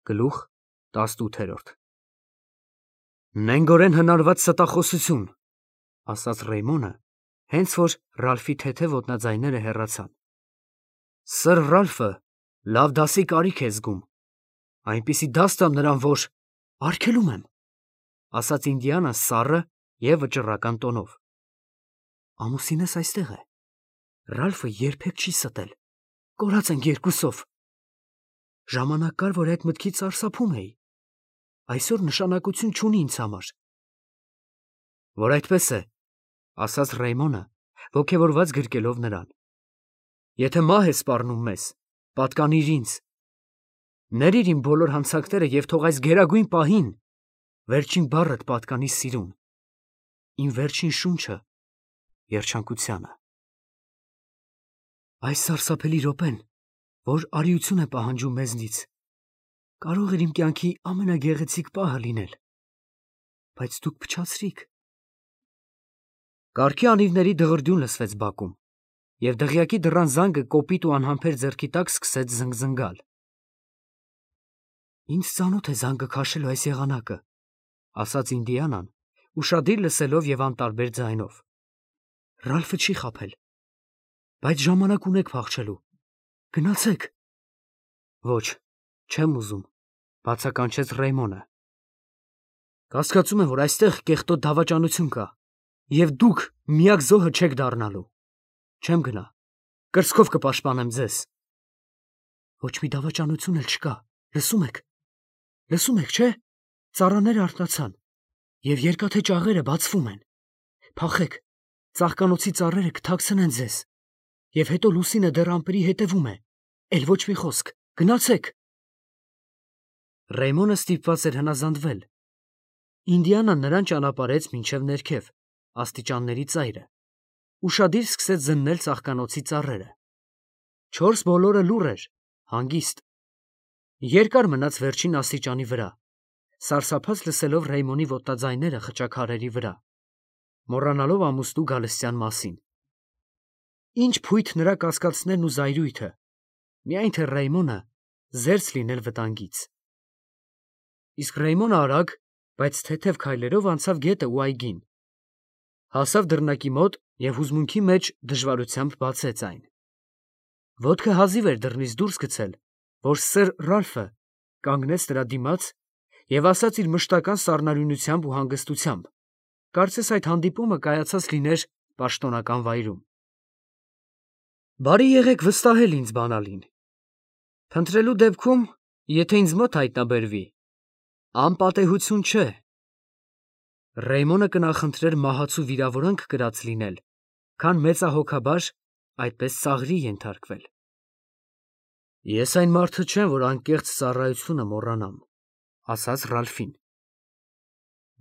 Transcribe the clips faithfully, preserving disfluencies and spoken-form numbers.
Գլուխ տասնութ։ Նենգորեն հնարված ստախոսություն, ասաց Ռեյմոնը, հենց որ Ռալֆի թեթև ոտնաձայները հեռացան։ Սըր Ռալֆը լավ դասի կարիք է զգում, այնպիսի դաս տամ նրան, որ արգելում եմ, ասաց Ինդիանան սառը և վճռական տոնով։ Ամուսինս այստեղ է, Ռալֆը երբեք չի ստել, կորած ենք երկուսով։ Ժամանակ կար, որ այդ մտքից սարսափում էի, այսօր նշանակություն չունի ինձ համար։ Որ այդպես է, ասաց Ռեյմոնը, ոգևորված գրկելով նրան։ Եթե մահ ես սպառնում մեզ, պատկանիր ինձ։ Ներիր իմ բոլոր հանցանքները և թող այս գերագույն պահին վերջին բառդ պատկանի սիրուն, իմ վերջին շունչը երջանկությանը։ Այս սարսափելի րոպեն, որ արիություն է պահանջում մեզնից, կարող էր իմ կյանքի ամենագեղեցիկ պահը լինել, բայց դուք փչացրիք։ Կառքի անիվների դղրդյուն լսվեց բակում, և դղյակի դռան զանգը կոպիտ ու անհամբեր ձեռքի տակ սկսեց զնգզնգալ։ Ինձ ծանոթ է զանգը քաշելու այս եղանակը, ասաց Ինդիանան, ուշադիր լսելով և անտարբեր ձայնով։ Ռալֆը չի խաբել, բայց ժամանակ ունեք փախչելու, գնացեք։ Ոչ, չեմ ուզում, բացականչեց Ռեյմոնը։ Կասկածում եմ, որ այստեղ կեղտոտ դավաճանություն կա, և դուք միակ զոհը չեք դառնալու։ Չեմ գնա, կրծքով կպաշտպանեմ ձեզ։ Ոչ մի դավաճանություն էլ չկա, լսում եք, լսում եք, չէ՞, ծառաները արթնացան, և երկաթե ճաղերը բացվում են։ Փախեք, ծաղկանոցի ծառերը կթաքցնեն ձեզ, և հետո լուսինը դեռ ամպերի հետևում է, էլ ոչ մի խոսք, գնացեք։ Ռեյմոնը ստիպված էր հնազանդվել։ Ինդիանան նրան ճանապարհեց մինչև ներքև, աստիճանների ծայրը, ուշադիր սկսեց զննել ծաղկանոցի ծառերը։ Չորս բոլորը լուռ էր, հանգիստ։ Երկար մնաց վերջին աստիճանի վրա, սարսափած լսելով Ռեյմոնի ոտնաձայները խճաքարերի վրա, մոռանալով ամուսնու գալստյան մասին։ Ինչ փույթ նրա կասկածներն ու զայրույթը, միայն թե Ռեյմոնը զերծ լինել վտանգից։ Իսկ Ռեյմոնը արագ, բայց թեթև քայլերով անցավ գետը ու այգին։ Հասավ դռնակի մոտ և հուզմունքի մեջ դժվարությամբ բացեց այն։ Ոտքը հազիվ էր դռնից դուրս գցել, որ սըր Ռալֆը կանգնեց նրա դիմաց և ասաց իր մշտական սառնարյունությամբ ու հանգստությամբ, կարծես այդ հանդիպումը կայացած լիներ պաշտոնական վայրում։ Բարի եղեք վստահել ինձ բանալին։ Փնտրելու դեպքում, եթե ինձ մոտ հայտնաբերվի, անպատեհություն չէ։ Ռեյմոնը կնախընտրեր մահացու վիրավորանք կրած լինել, քան մեծահոգաբար այդպես ծաղրի ենթարկվել։ Ես այն մարդը չեմ, որ անկեղծ ծառայությունը մոռանամ, ասաց Ռալֆին։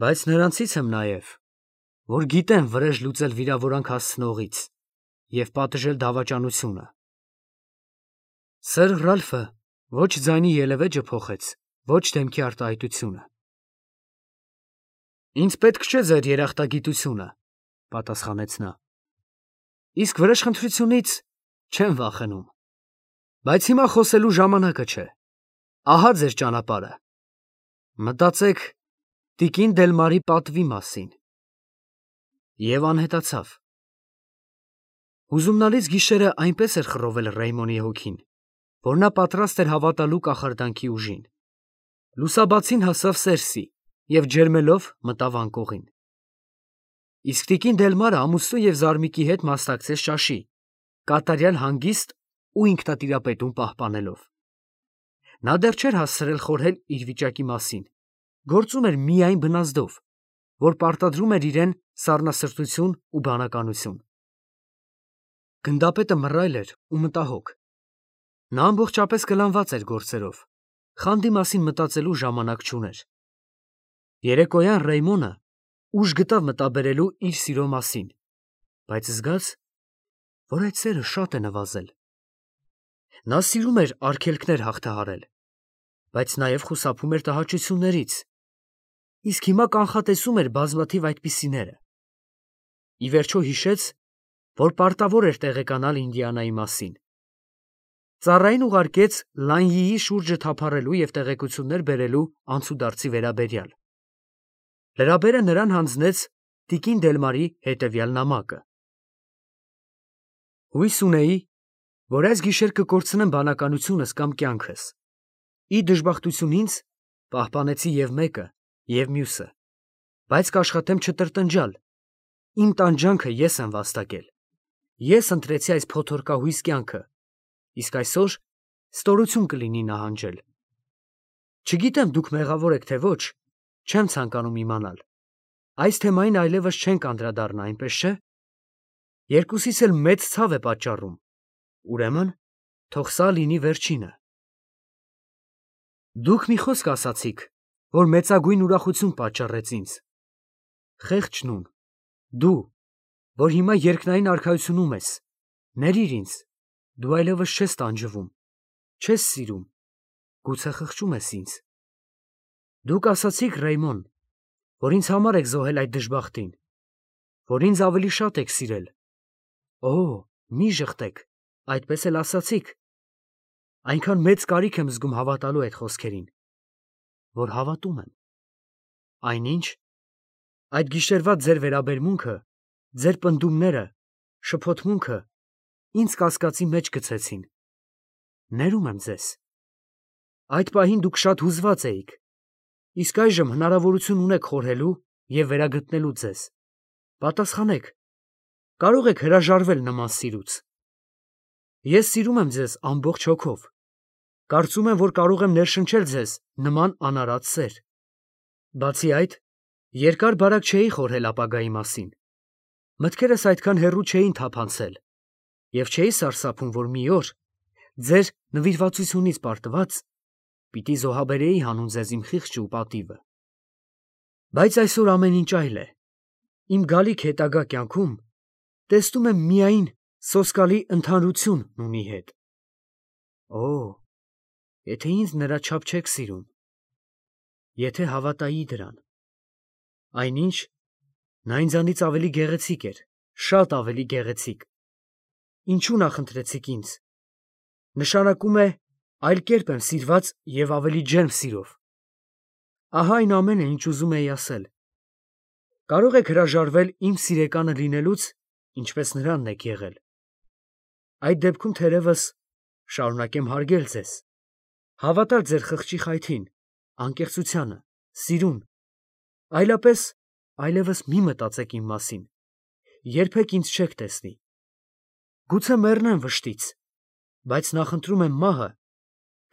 Բայց նրանցից եմ նաև, որ գիտեն վրեժ լուծել վիրավորանք հասցնողից և պատժել դավաճանությունը։ Սըր Ռալֆը ոչ ձայնի ելևէջը փոխեց, ոչ դեմքի արտահայտությունը։ Ինձ պետք չէ ձեր երախտագիտությունը, պատասխանեց նա։ Իսկ վրեժխնդրությունից չեմ վախենում։ Բայց հիմա խոսելու ժամանակը չէ։ Ահա ձեր ճանապարհը։ Մտածեք տիկին Դելմարի պատվի մասին։ Եվ անհետացավ։ Հուզումնալից գիշերը այնպես էր խռովել Ռեյմոնի հոգին, որ նա պատրաստ էր հավատալու կախարդանքի ուժին։ Լուսաբացին հասավ Սերսի և ջերմելով մտավ անկողին։ Իսկ տիկին Դելմարը ամուսնու և զարմիկի հետ մասնակցեց ճաշի, կատարյալ հանգիստ ու ինքնատիրապետում պահպանելով։ Նա դեռ չէր հասցրել խորհել իր վիճակի մասին, գործում էր միայն բնազդով, որ պարտադրում էր իրեն սառնասրտություն ու բանականություն։ Գնդապետը մռայլ էր ու մտահոգ։ Նա ամբողջապես կլանված էր գործերով, խանդի մասին մտածելու ժամանակ չուներ։ Երեկոյան Ռեյմոնը ուժ գտավ մտաբերելու իր սիրո մասին, բայց զգաց, որ այդ սերը շատ է նվազել։ Նա սիրում էր արգելքներ հաղթահարել, բայց նաև խուսափում էր տհաճություններից, իսկ հիմա կանխատեսում էր բազմաթիվ այդպիսիները։ Ի վերջո հիշեց, որ պարտավոր էր տեղեկանալ Ինդիանայի մասին։ Ծառային ուղարկեց Լանյիի շուրջը թափառելու և տեղեկություններ բերելու անցուդարձի վերաբերյալ։ Լրաբերը նրան հանձնեց տիկին Դելմարի հետևյալ նամակը. Հույս ունեի, որ այս գիշեր կկորցնեմ բանականությունս կամ կյանքս։ Ի դժբախտություն ինձ պահպանեցի և մեկը, և մյուսը, բայց կաշխատեմ չտրտնջալ։ Իմ տանջանքը ես եմ վաստակել։ Ես ընտրեցի այս փոթորկահույս կյանքը, իսկ այսօր ստորություն կլինի նահանջել։ Չգիտեմ դուք մեղավոր եք թե ոչ, չեմ ցանկանում իմանալ։ Այս թեմային այլևս չենք անդրադառնա, այնպես չէ՞։ Երկուսիս էլ մեծ ցավ է պատճառում, ուրեմն թող սա լինի վերջինը։ Դուք մի խոսք ասացիք, որ մեծագույն ուրախություն պատճառեց ինձ։ Խեղճ նուն, դու, որ հիմա երկնային արքայությունում ես, ներիր ինձ, դու այլևս չես տանջվում, չես սիրում, գուցե խղճում ես ինձ։ Դուք ասացիք, Ռեյմոն, որ ինձ համար եք զոհել այդ դժբախտին, որ ինձ ավելի շատ եք սիրել։ Օ, մի ժխտեք, այդպես էլ ասացիք։ Այնքան մեծ կարիք եմ զգում հավատալու այդ խոսքերին, որ հավատում եմ։ Այնինչ, այդ գիշերվա ձեր վերաբերմունքը, ձեր պնդումները, շփոթմունքը ինձ կասկածի մեջ գցեցին։ Ներում եմ ձեզ։ Այդ պահին դուք շատ հուզված էիք, իսկ այժմ հնարավորություն ունեք խորհելու և վերագտնելու ձեզ։ Պատասխանեք, կարող եք հրաժարվել նման սիրուց։ Ես սիրում եմ ձեզ ամբողջ հոգով։ Կարծում եմ, որ կարող եմ ներշնչել ձեզ նման անարատ սեր։ Բացի այդ, երկար-բարակ չէի խորհել ապագայի մասին։ Մտքերս այդքան հեռու չէին թափանցել, և չէի սարսափում, որ մի օր, ձեր նվիրվածությունից պարտված, պիտի զոհաբերեի հանուն ձեզ իմ խիղճը ու պատիվը։ Բայց այսօր ամեն ինչ այլ է։ Իմ գալիք հետագա կյանքում տեսնում եմ միայն սոսկալի ընդհանրություն նունի հետ։ Օ, եթե ինձ նրա չափ չեք սիրում, եթե հավատայի դրան։ Այնինչ, նա ինձանից ավելի գեղեցիկ էր, շատ ավելի գեղեցիկ։ Ինչու նախընտրեցիք ինձ։ Նշանակում է, այլ կերպ եմ սիրված և ավելի ջերմ սիրով։ Ահա այն ամենը, ինչ ուզում էի ասել։ Կարող եք հրաժարվել իմ սիրեկանը լինելուց, ինչպես նրանն եք եղել։ Այդ դեպքում թերևս շարունակեմ հարգել ձեզ, հավատալ ձեր խղճի խայթին, անկեղծությանը, սիրուն, այլապես այլևս մի մտածեք իմ մասին, երբեք ինձ չեք տեսնի։ Գուցե մեռնեմ վշտից, բայց նախընտրում եմ մահը,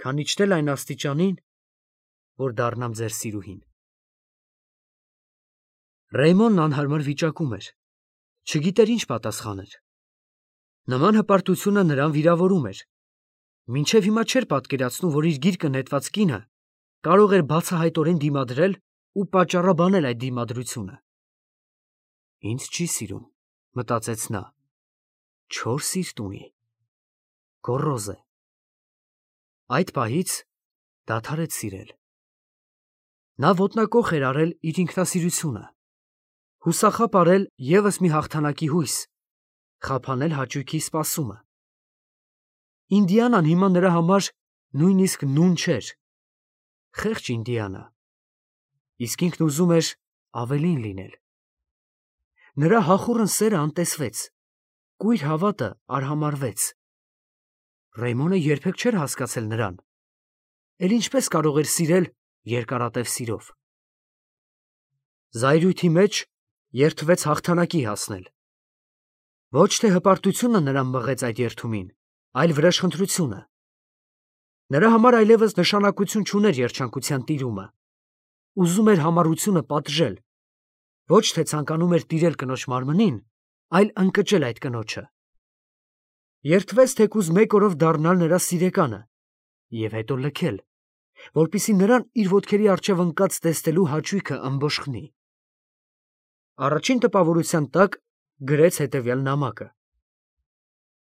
քան իջնել այն աստիճանին, որ դառնամ ձեր սիրուհին։ Ռեյմոնն անհարմար վիճակում էր, չգիտեր ինչ պատասխաներ։ Նման հպարտությունը նրան վիրավորում էր։ Մինչև հիմա չէր պատկերացնում, որ իր գիրկը նետված կինը կարող էր բացահայտորեն դիմադրել ու պատճառաբանել այդ դիմադրությունը։ Ինձ չի սիրում, մտածեց նա, չոր սիրտ ունի, գոռոզ է։ Այդ պահից դադարեց սիրել։ Նա ոտնակոխ էր արել իր ինքնասիրությունը, հուսախաբ արել ևս մի հաղթանակի հույս, խափանել հաճույքի սպասումը։ Ինդիանան հիմա նրա համար նույնիսկ նուն չէր, խեղճ Ինդիանա, իսկ ինքն ուզում էր ավելին լինել։ Նրա հախուռն սերը անտեսվեց, կույր հավատը արհամարհվեց։ Ռեյմոնը երբեք չէր հասկացել նրան, էլ ինչպես կարող էր սիրել երկարատև սիրով։ Զայրույթի մեջ երդվեց հաղթանակի հասնել։ Ոչ թե հպարտությունը նրան մղեց այդ երդումին, այլ վրեժխնդրությունը։ Նրա համար այլևս նշանակություն չուներ երջանկության տիրումը։ Ուզում էր համառությունը պատժել, ոչ թե ցանկանում էր տիրել կնոջ մարմնին, այլ ընկճել այդ կնոջը։ Երդվեց թեկուզ մեկ օրով դառնալ նրա սիրեկանը և հետո լքել, որպեսզի նրան իր ոտքերի առջև ընկած տեսնելու հաճույքը ըմբոշխնի։ Առաջին տպավորության տակ գրեց հետևյալ նամակը.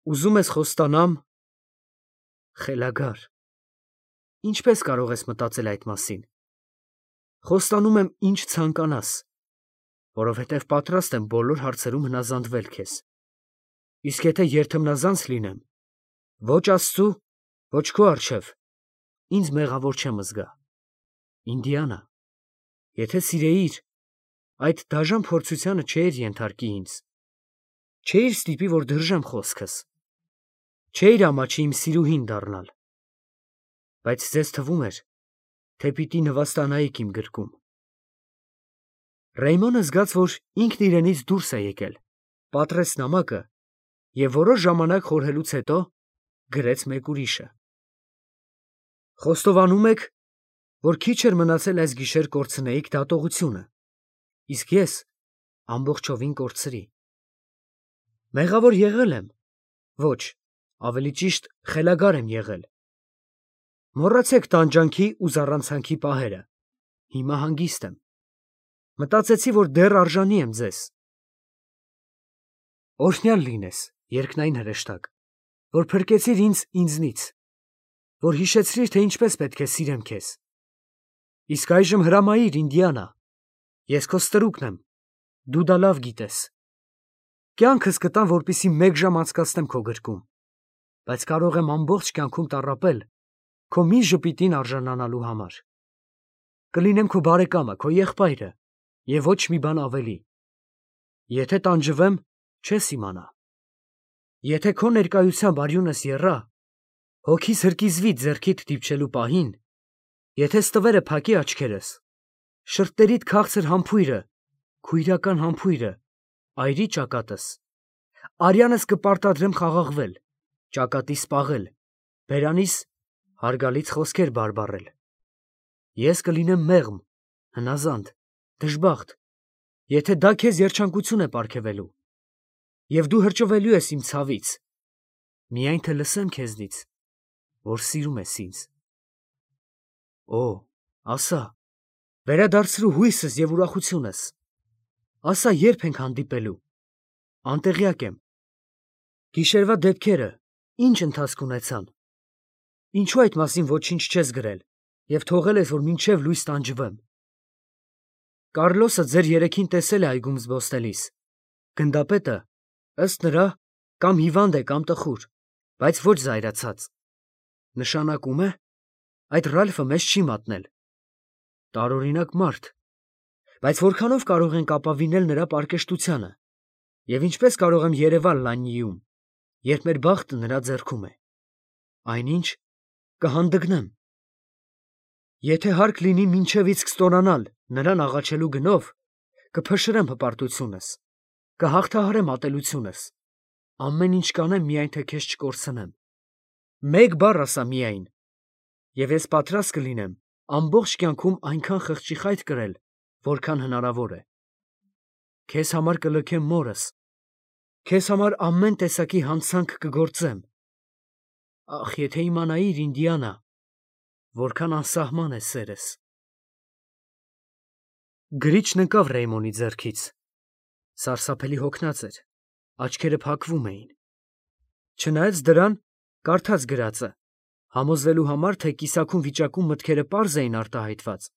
Ուզում ես խոստանամ, խելագար, ինչպես կարող ես մտածել այդ մասին։ Խոստանում եմ ինչ ցանկանաս, որովհետև պատրաստ եմ բոլոր հարցերում հնազանդվել քեզ։ Իսկ եթե երդմնազանց լինեմ, ոչ Աստծու Ոչ քո առջև, ինձ մեղավոր չեմ զգա։ Ինդիանա, եթե սիրեիր, այդ դաժան փորձությանը չէիր ենթարկի ինձ, չէիր ստիպի, որ դրժեմ խոսքս, չէիր ամաչի իմ սիրուհին դառնալ, բայց ձեզ թվում էր, թե պիտի նվաստանայիք իմ գրկում։ Ռեյմոնը զգաց, որ ինքն իրենից դուրս է եկել, պատռեց նամակը և որոշ ժամանակ խորհելուց հետո գրեց մեկ ուրիշը։ Խոստովանում եք, որ քիչ էր մնացել այս գիշեր կորցնեիք դատողությունը, իսկ ես ամբողջովին կորցրի։ Մեղավոր եղել եմ, ոչ, ավելի ճիշտ խելագար եմ եղել։ Մոռացեք տանջանքի ու զառանցանքի պահերը, հիմա հանգիստ եմ։ Մտածեցի, որ դեռ արժանի եմ ձեզ։ Օրհնյալ լինես, երկնային հրեշտակ, որ փրկեցիր ինձ ինձնից, որ հիշեցրիր, թե ինչպես պետք է սիրեմ քեզ։ Իսկ այժմ հրամայիր, Ինդիանա, ես քո ստրուկն եմ, դու դա լավ գիտես։ Կյանքս կտամ, որպեսզի մեկ ժամ անցկացնեմ քո գրկում, բայց կարող եմ ամբողջ կյանքում տառապել քո մի ժպիտին արժանանալու համար։ Կլինեմ քո բարեկամը, քո եղբայրը և ոչ մի բան ավելի։ Եթե տանջվեմ, չես իմանա։ Եթե քո ներկայությամբ արյունս եռա, հոգիս հրկիզվի ձեռքիդ դիպչելու պահին, եթե ստվերը փակի աչքերս, շրթերիդ քաղցր համբույրը, քույրական համբույրը, այրի ճակատս, արյանս կպարտադրեմ խաղաղվել, ճակատի սպաղել, բերանիս հարգալից խոսքեր բարբառել։ Ես կլինեմ մեղմ, հնազանդ, դժբախտ, եթե դա քեզ երջանկություն է պարգևելու, և դու հրճվելու ես իմ ցավից, միայն թե լսեմ քեզնից, որ սիրում ես ինձ։ Օ, ասա, վերադարձրու հույսս և ուրախությունս, ասա, երբ ենք հանդիպելու, անտեղյակ եմ։ Գիշերվա դեպքերը ինչ ընթացք ունեցան, ինչու այդ մասին ոչինչ չես գրել և թողել ես, որ մինչև լույս տանջվեմ։ Կառլոսը ձեր երեքին տեսել է այգում զբոսնելիս, գնդապետը, ըստ նրա, կամ հիվանդ է, կամ տխուր, բայց ոչ զայրացած։ Նշանակում է, այդ Ռալֆը մեզ չի մատնել։ Տարօրինակ մարդ, բայց որքանով կարող ենք ապավինել նրա պարկեշտությանը, և ինչպես կարող եմ երևալ Լաննիում, երբ մեր բախտը նրա ձեռքում է։ Այնինչ, կհանդգնեմ։ Եթե հարկ լինի մինչև իսկ ստորանալ նրան աղաչելու գնով, կփշրեմ հպարտությունս, կհաղթահարեմ ատելությունս, ամեն ինչ կանեմ, միայն թե քեզ չկորցնեմ։ Մեկ բառ ասա միայն, և ես պատրաստ կլինեմ ամբողջ կյանքում այնքան խղճի խայտ կրել, որքան հնարավոր է։ Քեզ համար կլքեմ մորս, քեզ համար ամեն տեսակի հանցանք կգործեմ։ Ախ, եթե իմանայիր, Ինդիանա, որքան անսահման է սերս։ Գրիչն ընկավ Ռեյմոնի ձեռքից, սարսափելի հոգնած էր, աչքերը փակվում էին։ Չնայած դրան, կարդաց գրածը, համոզվելու համար, թե կիսաքուն վիճակում մտքերը պարզ էին արտահայտված,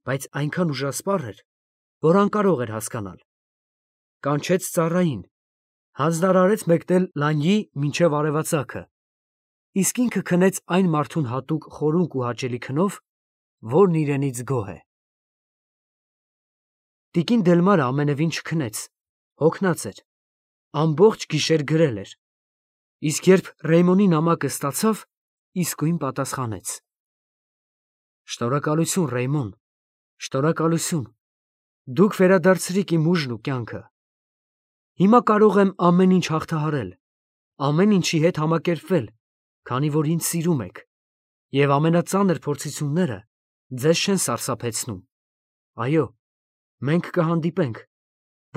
բայց այնքան ուժասպառ էր, որ անկարող էր հասկանալ։ Կանչեց ծառային, հանձնարարեց մեկնել Լաննիի մինչև արևածագը, իսկ ինքը քնեց այն մարդուն հատուկ խորունկ ու հաճելի քնով, որն իրենից գոհ է։ Տիկին Դելմարը ամենևին չքնեց, հոգնած էր, ամբողջ գիշեր գրել էր, իսկ երբ Ռեյմոնի նամակը ստացավ, իսկույն պատասխանեց. Շնորհակալություն, Ռեյմոն, շնորհակալություն, դուք վերադարձրիք իմ ուժն ու կյանքը։ Հիմա կարող եմ ամեն ինչ հաղթահարել, ամեն ինչի հետ համակերպվել, քանի որ ինձ սիրում եք, և ամենածանր փորձությունները ձեզ չեն սարսափեցնում։ Այո, մենք կհանդիպենք,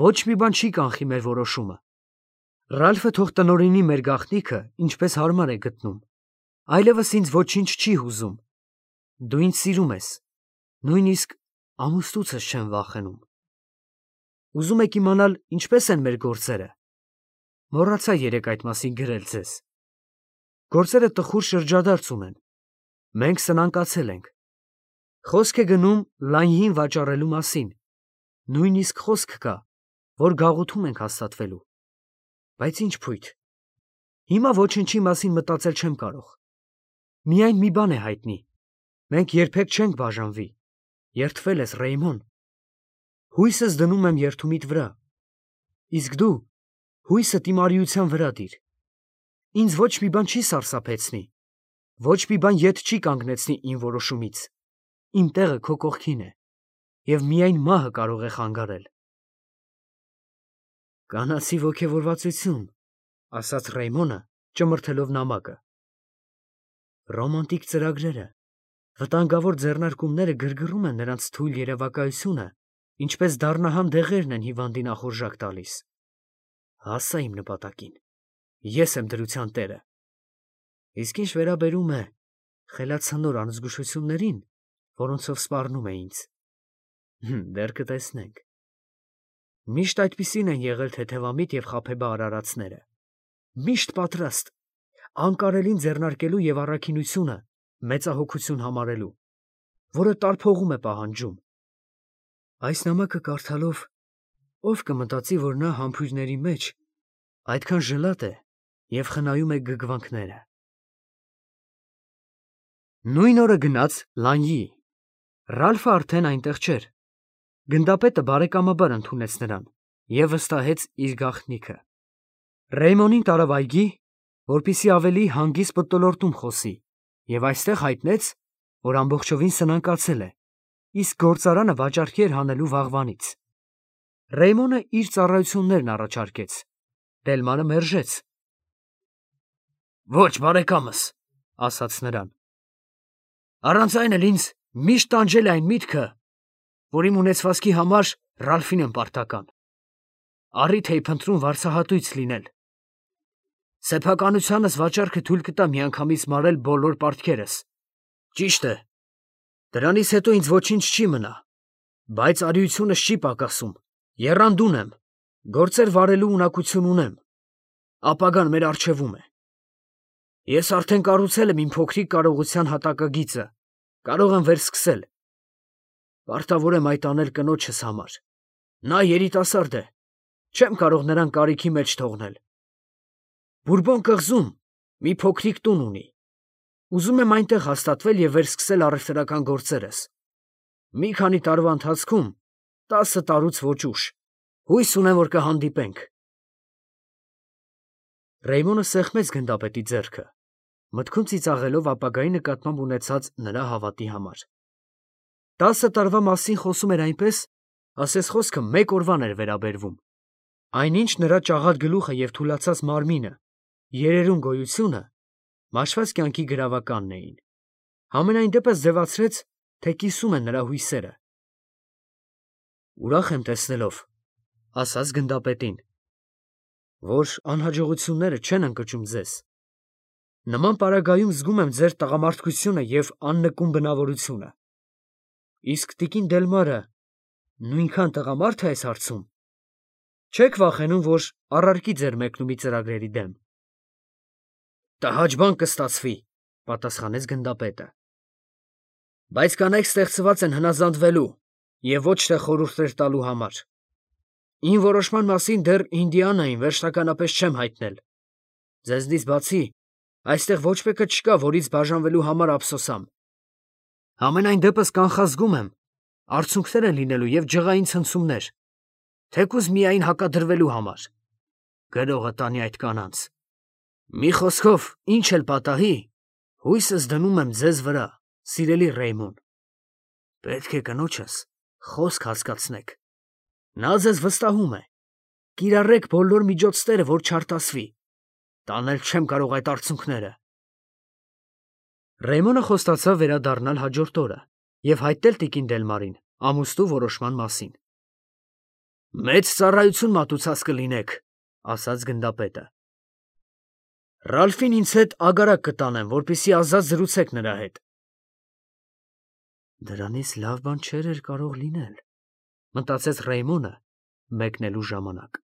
ոչ մի բան չի կանխի մեր որոշումը։ Ռալֆը թող տնօրինի մեր գաղտնիքը, ինչպես հարմար է գտնում, այլևս ինձ ոչինչ չի հուզում։ Դու ինձ սիրում ես, նույնիսկ ամուսնուցս չեմ վախենում։ Ուզում եք իմանալ ինչպես են մեր գործերը։ Մոռացա երեկ այդ մասին գրել ձեզ։ Գործերը տխուր շրջադարձ ունեն։ Մենք սնանկացել ենք։ Խոսք է գնում Լաննիին վաճառելու մասին։ Նույնիսկ խոսք կա, որ գաղութում ենք հաստատվելու։ Բայց ինչ փույթ։ Հիմա ոչնչի մասին մտածել չեմ կարող։ Միայն մի բան է հայտնի. մենք երբեք չենք բաժանվի։ Երդվել ես, Ռեյմոն։ Հույսս դնում եմ երդումիդ վրա։ Իսկ դու հույսը տիմարիության վրա դիր։ Ինձ ոչ մի բան չի սարսափեցնի, ոչ մի բան ետ չի կանգնեցնի իմ որոշումից։ Իմ տեղը քո կողքին է, և միայն մահը կարող է խանգարել։ Կանացի ոգևորվածություն, ասաց Ռեյմոնը, ճմրթելով նամակը։ Ռոմանտիկ ծրագրերը, վտանգավոր ձեռնարկումները գրգռում են նրանց թույլ երևակայությունը, ինչպես դառնահամ դեղերն են հիվանդի նախորժակ տալիս։ Հասա իմ նպատակին։ Ես եմ դրության տերը։ Իսկ ինչ վերաբերում է խելացնոր անզգուշություններին, որոնցով սպառնում է ինձ, դեռ կտեսնենք։ Միշտ այդպիսին են եղել թեթևամիտ և խաբեբա արարածները։ Միշտ պատրաստ, անկարելին ձեռնարկելու և առաքինությունը մեծահոգություն համարելու, որը տարփողում է պահանջում։ Այս նամակը կարդալով ով կմտածի, որ նա համբույրների մեջ այդքան ժլատ է և խնայում է գգվանքները։ Նույն օրը գնաց Լանյի։ Ռալֆը արդեն այնտեղ չէր։ Գնդապետը բարեկամաբար ընդունեց նրան և վստահեց իր գաղտնիքը։ Ռեյմոնին տարավ այգի, որպեսզի ավելի հանգիստ մթնոլորտում խոսի, և այստեղ հայտնեց, որ ամբողջովին սնանկացել է, իսկ գործարանը վաճառքի էր հանելու վաղվանից։ Ռեյմոնը իր ծառայություններն առաջարկեց։ Դելմանը մերժեց։ Ոչ, բարեկամս, ասաց նրան։ Առանց այն էլ ինձ միշտ տանջել է այն միտքը, որ իմ ունեցվածքի համար Ռալֆին եմ պարտական։ Առիթ էի փնտրում վարձահատույց լինել։ Սեփականությանս վաճառքը թույլ կտա միանգամից մարել բոլոր պարտքերս։ Ճիշտ է, դրանից հետո ինձ ոչինչ չի մնա, բայց արիությունս չի պակասում, եռանդուն եմ, գործեր վարելու ունակություն ունեմ, ապագան մեր առջևում է։ Ես արդեն կառուցել եմ իմ փոքրիկ կարողության հատակագիծը, կարող եմ վերսկսել։ Պարտավոր եմ այդ անել կնոջս համար։ Նա երիտասարդ է, չեմ կարող նրան կարիքի մեջ թողնել։ Բուրբոն կղզում մի փոքրիկ տուն ունի։ Ուզում եմ այնտեղ հաստատվել և վերսկսել առևտրական գործերս։ Մի քանի տարվա ընթացքում, տասը տարուց ոչ ուշ, հույս ունեմ, որ կհանդիպենք։ Ռեյմոնը սեղմեց գնդապետի ձեռքը, մտքում ծիծաղելով ապագայի նկատմամբ ունեցած նրա հավատի համար։ Տասը տարվա մասին խոսում էր այնպես, ասես խոսքը մեկ օրվան էր վերաբերվում։ Այնինչ նրա ճաղատ գլուխը և թուլացած մարմինը, երերուն գոյությունը մաշված կյանքի գրավականն էին։ Համենայն դեպս ձևացրեց, թե կիսում են նրա հույսերը։ Ուրախ եմ տեսնելով, ասաց գնդապետին, որ անհաջողությունները չեն ընկճում ձեզ։ Նման պարագայում զգում եմ ձեր տղամարդկությունը և աննկուն բնավորությունը։ Իսկ տիկին Դելմարը նույնքան տղամարդ է այս հարցում։ Չեք վախենում, որ առարկի ձեր մեկնումի ծրագրերի դեմ։ Տհաճ բան կստացվի, պատասխանեց գնդապետը։ Բայց կանայք ստեղծված են հնազանդվելու և ոչ թե խորհուրդներ տալու համար։ Իմ որոշման մասին դեռ Ինդիանային վերջնականապես չեմ հայտնել։ Ձեզնից բացի այստեղ ոչ մեկը չկա, որից բաժանվելու համար ափսոսամ։ Համենայն դեպս կանխազգում եմ, արցունքներ են լինելու և ջղային ցնցումներ, թեկուզ միայն հակադրվելու համար։ Գրողը տանի այդ կանանց։ Մի խոսքով, ինչ էլ պատահի, հույսս դնում եմ ձեզ վրա, սիրելի Ռեյմոն։ Պետք է կնոջս խոսք հասկացնեք։ Նա ձեզ վստահում է։ Կիրառեք բոլոր միջոցները, որ չարտասվի։ Տանել չեմ կարող այդ արցունքները։ Ռեյմոնը խոստացավ վերադառնալ հաջորդ օրը և հայտնել տիկին Դելմարին ամուսնու որոշման մասին։ Մեծ ծառայություն մատուցած կլինեք, ասաց գնդապետը։ Ռալֆին ինձ հետ ագարակ կտանեմ, որպեսզի ազատ զրուցեք նրա հետ։ Դրանից լավ բան չէր էլ կարող լինել, մտածեց Ռեյմոնը մեկնելու ժամանակ։